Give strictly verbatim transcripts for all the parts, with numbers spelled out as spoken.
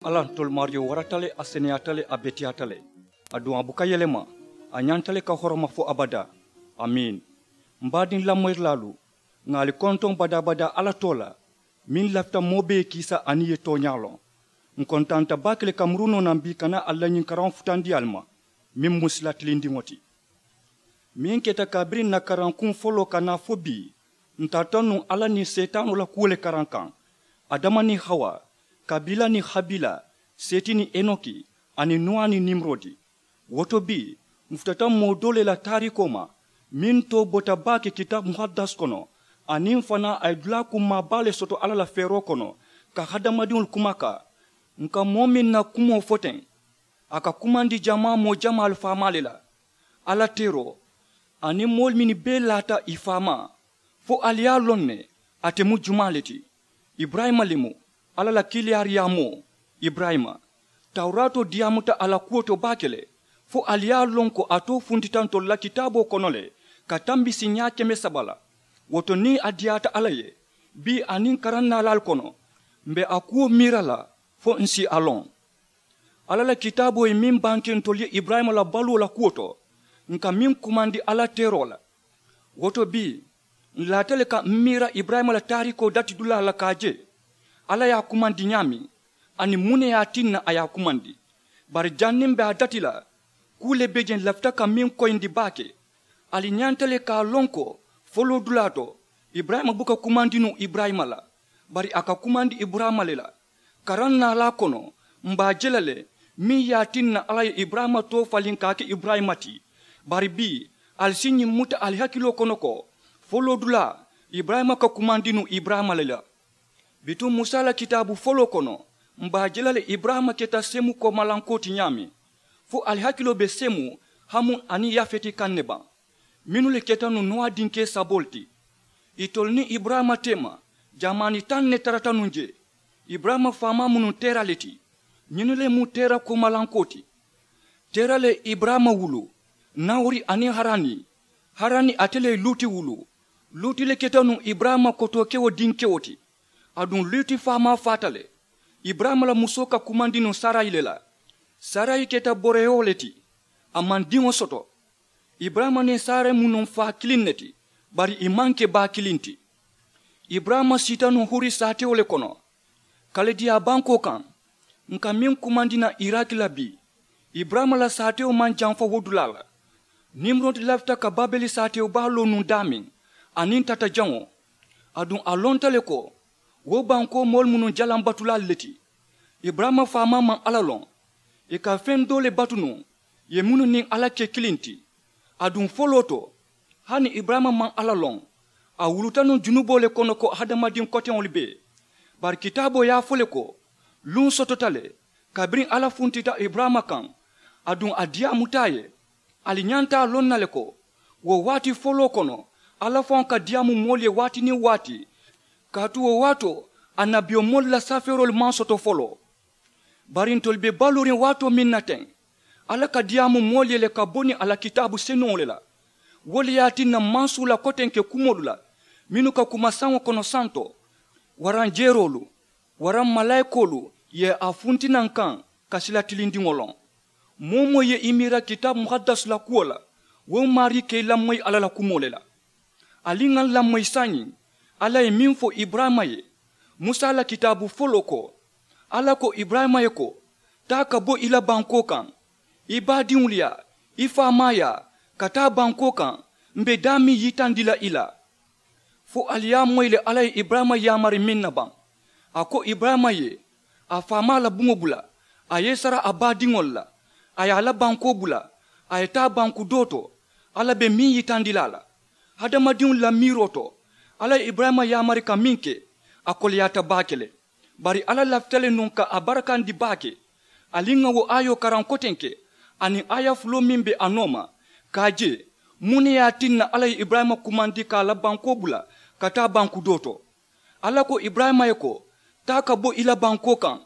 Alla ntolu maariyo warata le, a seneyaata le, a beteyaata le, aduŋ a buka yelema. A ñanta le ka horoma fo abadaa. Amiin. M baadiŋ lamoyirilaalu, ŋà ali kontoŋ badaa-badaa alla too la, meŋ lafita moo bee ye kiisa aniŋ ì ye tooñaa loŋ. Ǹ kontaanta baake le ka muru noo naŋ bii ka naa ali la ñiŋ karaŋo futandi ali ma, meŋ mu sila tilindiŋo ti. Meŋ keta kabiriŋ ǹ na karankuŋ foloo ka naa fo bii, ǹ tarata nuŋ alla niŋ seetaanoo la kuwo le karaŋ kaŋ, adama niŋ hawa, kabiila niŋ habiila, seeti niŋ enoki, aniŋ nuwa niŋ nimurodi. Wo to bii, ǹ futata moo doo le la taariikoo ma, meŋ too bota baake kitaabu muhaddas kono, aniŋ fanaa a ye dulaa kummaa baa le soto alla la feeroo kono ka hadamadiŋolu kumakaa. Ǹ ka moo meŋ na kumoo fo teŋ, a ka kumandi jamaa moo jamaalu faamaa le la. Alla teeroo aniŋ moolu mennu bee laata ì faamaa, fo ali ye a loŋ ne, ate mu jumaa le ti? Iburayima le mu, alla la kiilaariyaamoo. Iburayima, tawuraatoo diyaamuta a la kuwo to baake le, fo ali ye a loŋ ko a too funtita ntolu la kitaaboo kono le ka tambi siiñaa keme saba la. Wo to niŋ a diyaata alla ye, bii aniŋ karaŋ naalaalu kono, m̀ be a kuwo miira la fo ǹ si a loŋ. Alla la kitaaboo ye meŋ banke ntolu ye iburayima la baluwo la kuwo to, ǹ ka meŋ kumandi alla teeroo la. Wo to bii, ǹ laata le ka m miira iburayima la taariikoo dati dulaa la ka a je, alla ye a kumandi ñaameŋ, aniŋ muŋ ne ye a tinna a ye a kumandi. Bari janniŋ m̀ be a dati la, kuu le be je ǹ lafita ka meŋ koyindi baake. Ali ñanta le ka a loŋ ko, foloo dulaa to, iburayima buka kumandi nuŋ iburayima la, bari a ka kumandi iburayima le la. Karaŋ naalaa kono, m̀ be a je la le, meŋ ye a tinna alla ye iburayima too faliŋ ka a ke iburayima ti. Bari bii, ali si ñiŋ muta ali hakiloo kono ko, foloo dulaa, iburayima ka kumandi nuŋ iburayima le la. Bituŋ musa la kitaabu foloo kono, m̀ be a je la le iburayima keta semu koomalankoo ti ñaameŋ. Fo ali hakiloo be semu, hamu aniŋ yafeti kaŋ ne baŋ? Mennu le keta nuŋ nowa dinkee saboolu ti. Itolu niŋ iburayima teema, jamaani taŋ ne tarata nuŋ jee. Iburayima faamaa mu nuŋ tera le ti. Ñinnu le mu tera koomalankoo ti. Tera le ye iburayima wuluu, nahori aniŋ harani. Harani ate le ye luuti wuluu. Luuti le keta nuŋ iburayima kotookewo dinkewo ti. Aduŋ luuti faamaa faata le. Iburayima la musoo ka kumandi nuŋ sarayi le la. Sarayi keta boroyoo le ti. A maŋ diŋo soto. Iburayima niŋ sarayi mu nuŋ faa kiliŋ ne ti, bari ì maŋ ke baa kiliŋ ti. Iburayima siita nuŋ huri saatewo le kono, kalidiyaa bankoo kaŋ. Ǹ ka meŋ kumandi naŋ iraki la bii, iburayima la saatewo maŋ jamfa wo dulaa la. Nimurodi lafita ka babeli saatewo baa loo nuŋ daameŋ, aniŋ tata jaŋo. Aduŋ a lonta le ko, wo bankoo moolu mu nuŋ jalaŋ batulaalu le ti. Iburayima faamaa maŋ alla loŋ. Ì ka feŋ doo le batu nuŋ, ì ye mennu niŋ alla ke kiliŋ ti. Aduŋ foloo to, hani iburayima maŋ alla loŋ. A wuluta nuŋ junuboo le kono ko hadamadiŋ koteŋolu bee. Bari kitaaboo ye a fo le ko, luŋ sotota le, kabiriŋ alla funtita iburayima kaŋ, aduŋ a diyaamuta a ye. Ali ñanta a loŋ na le ko, wo waati foloo kono, alla faŋo ka diyaamu moolu ye waati niŋ waati. Kaatu wo waatoo, annabiyomoolu la safeeroolu maŋ soto foloo. Bari ntolu be baluuriŋ waatoo meŋ na teŋ, alla ka diyaamu moolu ye le ka bo niŋ a la kitaabu senuŋo le la. Wo le ye a tinna maŋ suu la kotenke kumoolu la, mennu ka kuma saŋo kono santo, waraŋ jeeroolu, waraŋ malaayikoolu ye a funti naŋ kaŋ ka sila tilindiŋo loŋ. Moo-wo-moo ye i miira kitaabu muhaddasu la kuwo la, wo maarii ka i lamoyi alla la kumoo le la. Ali ŋà lamoyi saayiŋ, alla ye meŋ fo iburayima ye, musa la kitaabu foloo ko, alla ko iburayima ye ko, taa ka bo i la bankoo kaŋ, i baadiŋolu yaa, i faamaa yaa, ka taa bankoo kaŋ, m̀ be daameŋ yitandi la i la. Fo ali ye a moyi le alla ye iburayima yaamari meŋ na baŋ. A ko iburayima ye a faamaa la buŋo bula, a ye i sara a baadiŋolu la, a ye a la bankoo bula, a ye taa banku doo to, alla be meŋ yitandi la a la. Hadamadiŋolu la miiroo to, alla ye iburayima yaamari ka meŋ ke, a koleyaata baake le. Bari alla lafita le nuŋ ka a barakandi baake. Ali ŋà wo aayoo karaŋ kotenke, aniŋ aaya fuloo meŋ be a nooma, ka a je, muŋ ne ye a tinna alla ye iburayima kumandi ka a la bankoo bula ka taa banku doo to? Alla ko iburayima ye ko, taa ka bo i la bankoo kaŋ,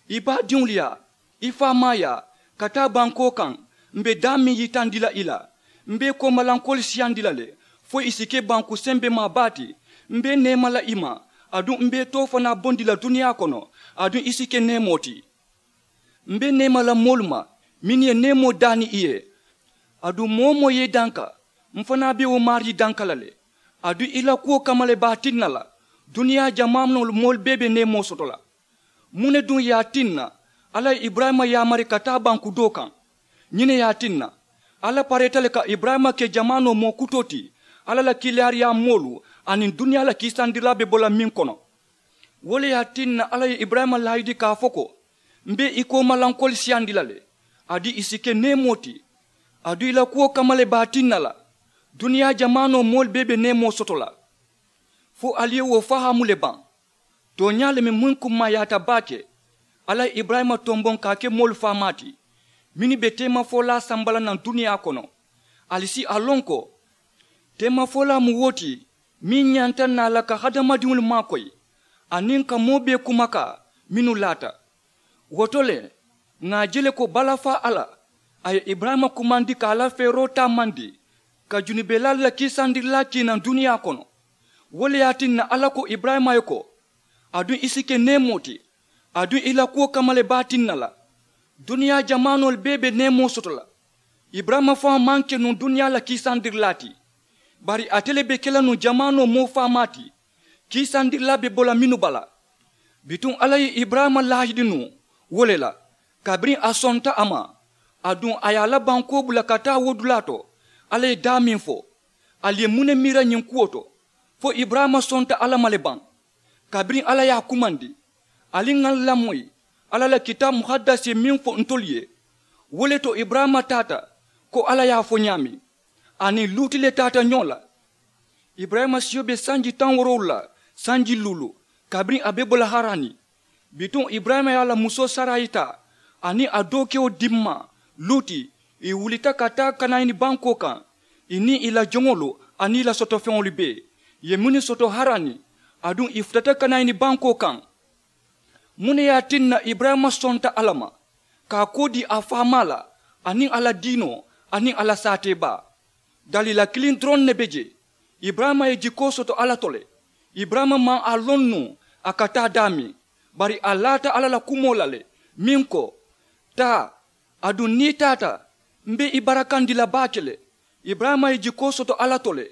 i baadiŋolu yaa, i faamaa yaa, ka taa bankoo kaŋ, m̀ be daameŋ yitandi la i la. M̀ be i koomalankoolu siyandi la le, fo i si ke banku sembemaa baa ti. M̀ be i neema la i ma, aduŋ m̀ be i too fanaa bondi la duniyaa kono, aduŋ i si ke neemoo ti. M be neema la moolu ma mennu ye neemoo daani i ye. Aduŋ moo-wo-moo ye i danka, m fanaa be wo maarii danka la le. Aduŋ i la kuwo kamma le be a tinna la duniyaa jamaanoolu moolu bee be neemoo soto la. Muŋ ne duŋ ye a tinna alla ye iburayima yaamari ka taa banku doo kaŋ? Ñiŋ ne ye a tinna alla pareeta le ka iburayima ke jamaanoo moo kutoo ti alla la kiilaariyaa moolu aniŋ duniyaa la kiisandirilaa be bo la meŋ kono. Wo le ye a tinna alla ye iburayima laayidi ka a fo ko, m be i koomalankoolu siyandi la le. Aduŋ i si ke neemoo ti. Aduŋ i la kuwo kamma le be a tinna la duniyaa jamaanoo moolu bee be neemoo soto la. Fo ali ye wo fahaamu le baŋ? Tooñaa le meŋ muŋ kummaayaata baake alla ye iburayima tomboŋ ka a ke moolu faamaa ti mennu be teemafolaa samba la naŋ duniyaa kono. Ali si a loŋ ko teemafolaa mu wo ti meŋ ñanta naa la ka hadamadiŋolu maakoyi aniŋ ka moo bee kumakaa mennu laata. Wo to le ŋà a je le ko balafaa alla a ye iburayima kumandi ka a la feeroo taamandi ka junubelaalu la kiisandirilaa kii naŋ duniyaa kono. Wo le ye a tinna alla ko iburayima ye ko, aduŋ i si ke neemoo ti. Aduŋ i la kuwo kamma le be a tinna la duniyaa jamaanoolu bee be neemoo soto la. Iburayima faŋo maŋ ke nuŋ duniyaa la kiisandirilaa ti. Bari ate le be ke la nuŋ jamaanoo moo faamaa ti. Kiisandirilaa be bo la mennu bala. Bituŋ alla ye iburayima laahidi nuŋ wo le la. Kabiriŋ a sonta a ma aduŋ a ye a la bankoo bula ka taa wo dulaa to, alla ye daameŋ fo. Ali ye muŋ ne miira ñiŋ kuwo to? Fo iburayima sonta alla ma le baŋ? Kabiriŋ alla ye a kumandi ali ŋà lamoyi alla la kitaabu muhadasi ye meŋ fo ntolu ye. Wo le to iburayima taata ko alla ye a fo ñaameŋ. A niŋ luuti le taata ñoo la. Iburayima siyo be sanji taŋ woorowulu la sanji luulu kabiriŋ a be bo la harani. Bituŋ iburayima ye a la musoo sarayi taa aniŋ a dookewo dimmaa luuti. I wulita ka taa kanayini bankoo kaŋ i niŋ i la joŋolu aniŋ i la sotofeŋolu bee i ye mennu soto harani. Aduŋ i futata kanayini bankoo kaŋ. Muŋ ne ye a tinna iburayima sonta alla ma ka a koo dii a faamaa la aniŋ a la diinoo aniŋ a la saatee baa? Daliila kiliŋ doroŋ ne be jee. Iburayima ye jikoo soto alla to le. Iburayima maŋ a loŋ nuŋ a ka taa daameŋ. Bari a laata alla la kumoo la le meŋ ko, taa. Aduŋ niŋ i taata m be i barakandi la baake le. Iburayima ye jikoo soto alla to le.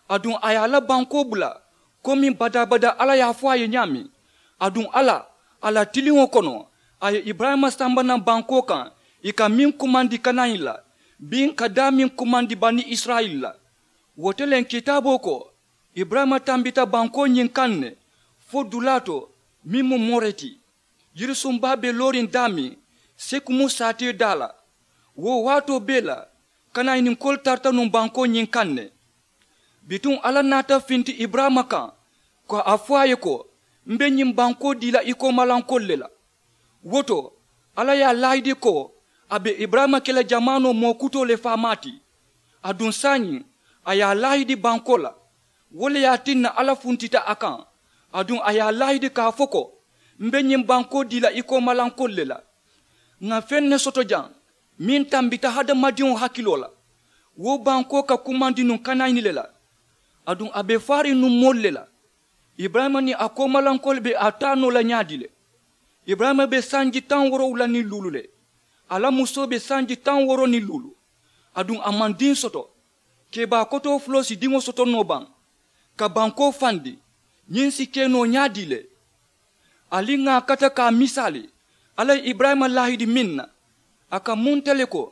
Aduŋ a ye a la bankoo bula komiŋ badaa badaa alla ye a fo a ye ñaameŋ. Aduŋ alla a la tiliŋo kono a ye iburayima samba naŋ bankoo kaŋ i ka meŋ kumandi kanayiŋ la biŋ ka daameŋ kumandi bani isirayila la. Wo te le kitaaboo ko iburayima tambita bankoo ñiŋ kaŋ ne fo dulaa to meŋ mu more ti. Yirisuŋ baa be looriŋ daameŋ sekumu saatee daa la. Wo waatoo bee la kanayiniŋ koolu tarata nuŋ bankoo ñiŋ kaŋ ne. Bituŋ alla naata finti iburayima kaŋ ko a fo a ye ko m be ñiŋ bankoo dii la i koomalankoolu le la. Wo to alla ye a laayidi ko a be iburayima ke la jamaanoo moo kutoo le faamaa ti. Aduŋ saayiŋ a ye a laayidi bankoo la. Wo le ye a tinna alla funtita a kaŋ. Aduŋ a ye a laayidi ka a fo ko m be ñiŋ bankoo dii la i koomalankoolu le la. Ŋà feŋ ne soto jaŋ meŋ tambita hadamadiŋo hakiloo la. Wo bankoo ka kumandi nuŋ kanayini le la. Aduŋ a be faariŋ nuŋ moolu le la. Iburayima niŋ a koomalankoolu be a taa noo la ñaadii le? Iburayima be sanji taŋ woorowula niŋ luulu le. A la musoo be sanji taŋ wooro niŋ luulu. Aduŋ a maŋ diŋ soto. Kebaa kotoo fuloo si diŋo soto noo baŋ? Ka bankoo fandi ñiŋ si ke noo ñaadii le? Ali ŋà a kata ka a misaali alla ye iburayima laahidi meŋ na a ka munta le ko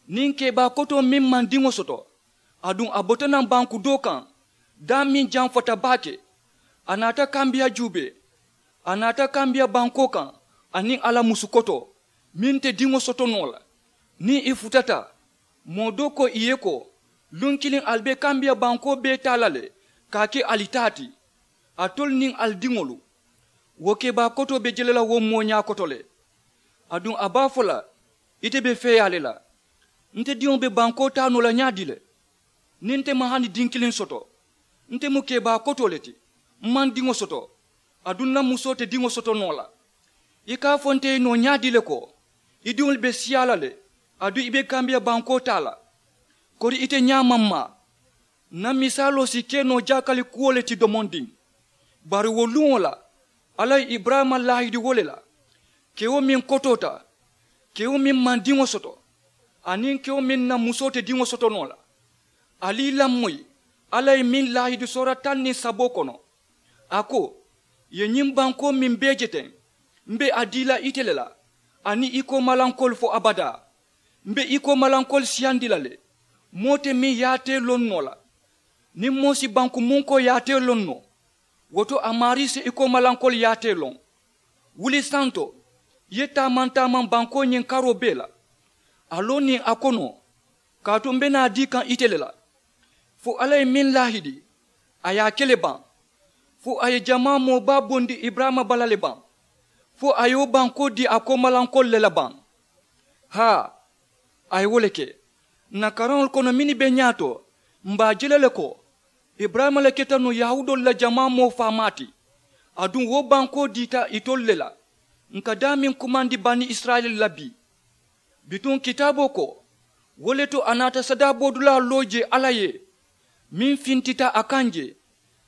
niŋ kebaa kotoo meŋ maŋ diŋo soto. Aduŋ a bota naŋ banku doo kaŋ daameŋ jamfata baake. A naata kambiya juubee. A naata kambiya bankoo kaŋ aniŋ a la musu kotoo meŋ te diŋo soto noo la. Niŋ i futata moo doo ko i ye ko luŋ kiliŋ ali be kambiya bankoo bee taa la le ka a ke ali taa ti. Alitolu niŋ ali diŋolu wo kebaa kotoo be je le la wo mooñaa koto le. Aduŋ a be a fo la ite be feeyaa le la. Nte diŋo be bankoo taa noo la ñaadii le? Niŋ nte maŋ hani diŋ kiliŋ soto nte mu kebaa kotoo le ti. M maŋ diŋo soto. Aduŋ n na musoo te diŋo soto noo la. I ka a fo nte ye noo ñaadii le ko i diŋolu be siyaa la le? Aduŋ i be kambiya bankoo taa la. Kori ite ñaamaŋ maa n na misaaloo si ke noo jaakali kuwo le ti domondiŋ. Bari wo luŋo la alla ye iburayima laahidi wo le la. Kewo meŋ kotoota Kewo meŋ maŋ diŋo soto aniŋ kewo meŋ na musoo te diŋo soto noo la, ali i lamoyi alla ye meŋ laahidi soora taŋ niŋ saboo kono. A ko, ì ye ñiŋ bankoo meŋ bee je teŋ, m̀ be a dii la ite le la aniŋ i koomalankoolu fo abadaa. M̀ be i koomalankoolu siyandi la le. Moo te meŋ yaatee loŋ noo la. Niŋ moo si banku munkoo yaatee loŋ noo, wo to a maarii si i koomalankoolu yaatee loŋ. Wuli santo, i ye taamaŋ taamaŋ bankoo ñiŋ karoo bee la, a loo niŋ a konoo, kaatu m̀ be naa dii kaŋ ite le la. Fo alla ye meŋ laahidi, a ye a ke le baŋ. Fo a ye jamaa moo baa bondi iburayima bala le baŋ. Fo a ye wo bankoo dii a koomalankoolu le la baŋ. Haa, a ye wo le ke. Ǹ na karaŋolu kono mennu be ñaato, m̀ be a je la le ko iburayima le keta nuŋ yahuudoolu la jamaa moo faamaa ti. Aduŋ wo bankoo diita itolu le la. Ǹ ka daameŋ kumandi bani isirayila la bii. Bituŋ kitaaboo ko, wo le to a naata sadaabodulaa loo jee alla ye, meŋ fintita a kaŋ jee.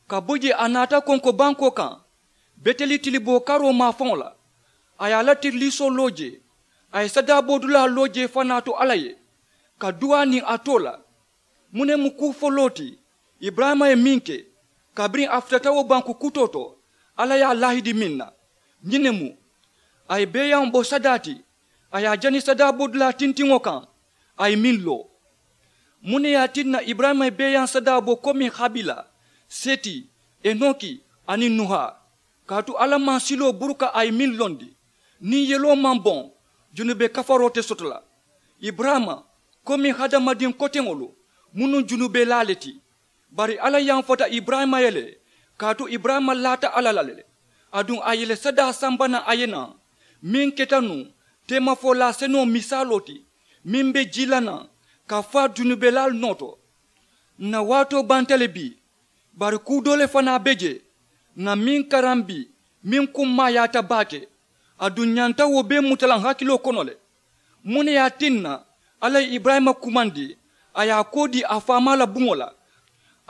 Ka bo jee a naata konko bankoo kaŋ, beteli tiliboo karoo maafaŋo la. A ye a la tiriliisoo loo jee, a ye sadaabodulaa loo jee fanaa to alla ye, ka duwaa niŋ a too la. Muŋ ne mu kuu foloo ti iburayima ye meŋ ke? Kabiriŋ a futata wo banku kutoo to, alla ye a laahidi meŋ na, ñiŋ ne mu. A ye beeyaŋo bo sadaa ti, a ye a jani sadaabodulaa tintiŋo kaŋ, a ye meŋ loo. Muŋ ne ye a tinna iburayima ye beeyaŋ sadaa bo komi habila, seti, enoki, aniŋ nuha? Kaatu alla maŋ siloo buruka a ye meŋ londi. Niŋ yeloo maŋ boŋ, junube kafaroo te soto la. Iburayima, komi hadamadiŋ koteŋolu, mu nuŋ junubelaa le ti. Bari alla yamfata iburayima ye le, kaatu iburayima laata alla la le. Aduŋ a ye le sadaa samba naŋ a ye naŋ, meŋ keta nuŋ teemafolaa senoo misaaloo ti, meŋ be jii la naŋ ka faa junubelaalu noo to. Ǹ na waatoo banta le bii. Bari kuu doo le fanaa be jee, ŋà meŋ karambi, meŋ kummaayaata baake. Aduŋ ǹ ñanta wo bee muta la ǹ hakiloo kono le. Muŋ ne ye a tinna alla ye iburayima kumandi, a ye a koo dii a faamaa la buŋo la,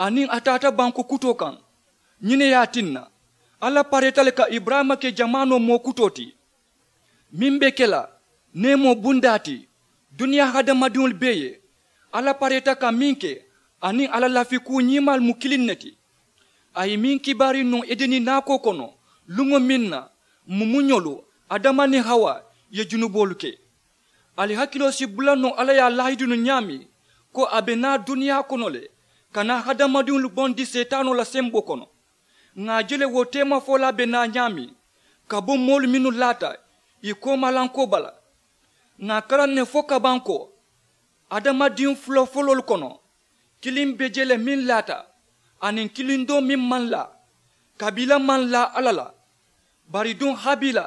aniŋ a taata banku kutoo kaŋ? Ñiŋ ne ye a tinna alla pareeta le ka iburayima ke jamaanoo moo kutoo ti, meŋ be ke la neemoo bundaa ti duniyaa hadamadiŋolu bee ye. Alla pareeta ka meŋ ke, aniŋ a la lafi kuu ñiimaalu mu kiliŋ ne ti. A ye meŋ kibaari nuŋ edeni naakoo kono, luŋo meŋ na mumuñolu, adama niŋ hawa, ye junuboolu ke. Ali hakiloo si bula noo alla ye a laahidinu ñaameŋ, ko a be naa duniyaa kono le, ka naa hadamadiŋolu bondi seetaanoo la semboo kono. Ŋà a je le wo teemafolaa be naa ñaameŋ, ka bo moolu mennu laata ì koomalankoo bala. Ŋà a karaŋ ne fo kabaŋ ko, adamadiŋ fula foloolu kono, kiliŋ be je le meŋ laata, aniŋ kiliŋ doo meŋ maŋ laa. Kabiila maŋ laa alla la. Bari duŋ habiila,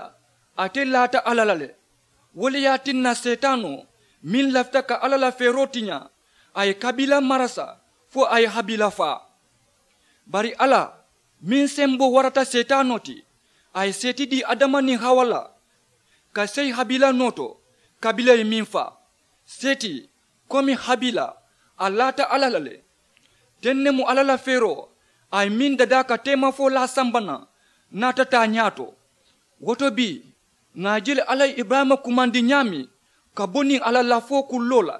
ate laata alla la le. Wo le ye a tinna seetaanoo, meŋ lafita ka alla la feeroo tiñaa, a ye kabiila marasa, fo a ye habiila faa. Bari alla, meŋ semboo warata seetaanoo ti, a ye seeti dii adama niŋ hawa la, ka seyi habiila noo to, kabiila ye meŋ faa. Seeti, komi habiila, a laata alla la le. Teŋ ne mu alla la feeroo, a ye meŋ dadaa ka teemafolaa samba naŋ, naata taa ñaato. Wo to bii, ŋà a je le alla ye iburayima kumandi ñaameŋ, ka bo niŋ a la lafoo kulloo la,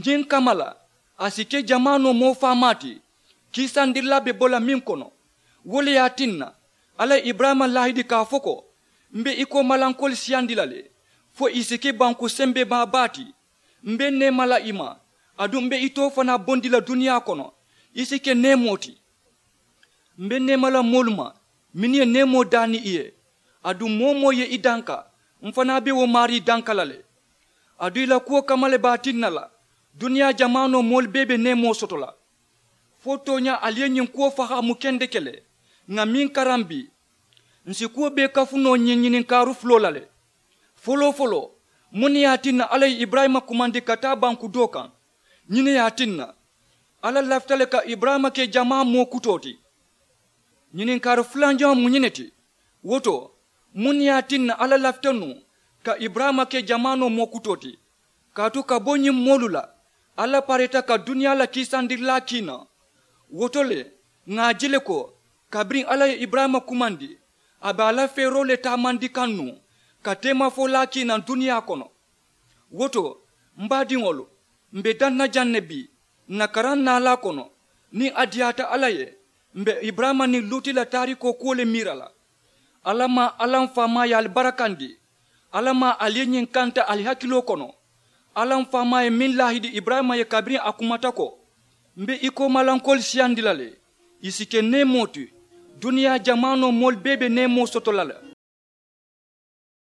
ñiŋ kamma la, a si ke jamaanoo moo faamaa ti, kiisandirilaa be bo la meŋ kono. Wo le ye a tinna, alla ye iburayima laahidi ka a fo ko, m̀ be i koomalankoolu siyandi la le, fo ì si ke banku sembebaa baa ti. M̀ be neema la i ma, aduŋ m̀ be itoo fanaa bondi la duniyaa kono, i si ke neemoo ti. M̀ be neema la moolu ma, mennu ye neemoo daani i ye. Aduŋ moo-wo-moo ye i danka, m̀ fanaa be wo maarii danka la le. Aduŋ i la kuwo kamma le be a tinna la, duniyaa jamaanoo moolu bee be neemoo soto la. Fo tooñaa ali ye ñiŋ kuwo fahaamu kendeke le. Ŋà meŋ karambi, ǹ si kuwo bee kafu noo ñiŋ ñininkaaru fuloo la le. Foloo-foloo, muŋ ne ye a tinna alla ye iburayima kumandi ka taa banku doo kaŋ? Ñiŋ ne ye a tinna, alla lafita le ka iburayima ke jamaa moo kutoo ti. Ñininkaari fulanjaŋo mu ñiŋ ne ti. Wo to, muŋ ne ye a tinna alla lafita nuŋ ka iburayima ke jamaanoo moo kutoo ti? Kaatu ka bo ñiŋ moolu la, alla pareeta ka duniyaa la kiisandirilaa kii naŋ. Wo to le, ŋà a je le ko, kabiriŋ alla ye iburayima kumandi, a be a la feeroo le taamandi kaŋ nuŋ, ka teemafolaa kii naŋ duniyaa kono. Wo to, m baadiŋolu, m be daŋ na jaŋ ne bii, ǹ na karaŋ naalaa kono. Niŋ a diyaata alla ye, m be iburayima niŋ luuti la taariikoo kuwo le miira la. Alla maa, alla m faamaa ye ali barakandi. Alla maa, ali ye ñiŋ kanta ali hakiloo kono. Alla m faamaa ye meŋ laahidi iburayima ye kabiriŋ a kumata ko, m be i koomalankoolu siyandi la le, ì si ke neemoo ti. Duniyaa jamaanoo moolu bee be neemoo soto la le.